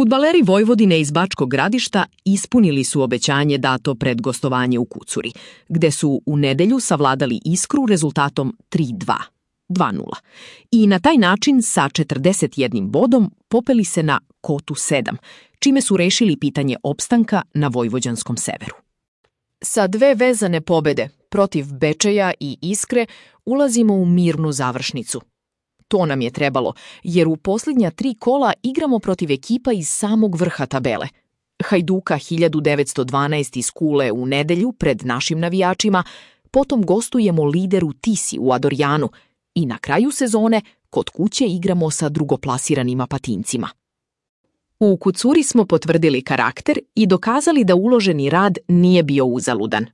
Fudbaleri Vojvodine iz Bačkog Gradišta ispunili su obećanje dato pred gostovanje u Kucuri, gde su u nedelju savladali Iskru rezultatom 3:2. 2:0. I na taj način sa 41 bodom popeli se na kotu 7, čime su rešili pitanje opstanka na vojvođanskom severu. Sa 2 vezane pobede protiv Bečeja i Iskre ulazimo u mirnu završnicu. To nam je trebalo, jer u posljednja 3 kola igramo protiv ekipa iz samog vrha tabele. Hajduka 1912 iz Kule u nedelju pred našim navijačima, potom gostujemo lideru Tisi u Adorjanu i na kraju sezone kod kuće igramo sa drugoplasiranim Apatincima. U Kucuri smo potvrdili karakter i dokazali da uloženi rad nije bio uzaludan.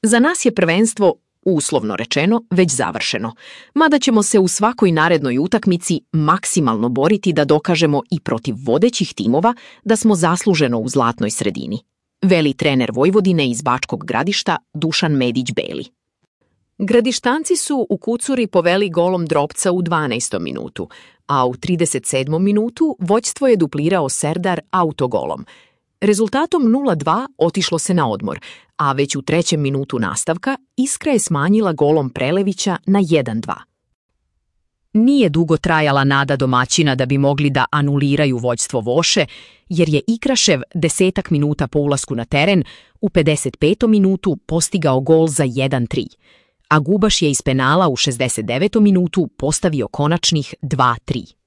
Za nas je prvenstvo, uslovno rečeno, već završeno, mada ćemo se u svakoj narednoj utakmici maksimalno boriti da dokažemo i protiv vodećih timova da smo zasluženo u zlatnoj sredini, veli trener Vojvodine iz Bačkog Gradišta Dušan Medić-Beli. Gradištanci su u Kucuri poveli golom Drobca u 12. minutu, a u 37. minutu vođstvo je duplirao Serdar autogolom. Rezultatom 0:2 otišlo se na odmor, a već u 3. minutu nastavka Iskra je smanjila golom Prelevića na 1:2. Nije dugo trajala nada domaćina da bi mogli da anuliraju vođstvo Voše, jer je Ikrašev 10 minuta po ulasku na teren u 55. minutu postigao gol za 1:3, a Gubaš je iz penala u 69. minutu postavio konačnih 2:3.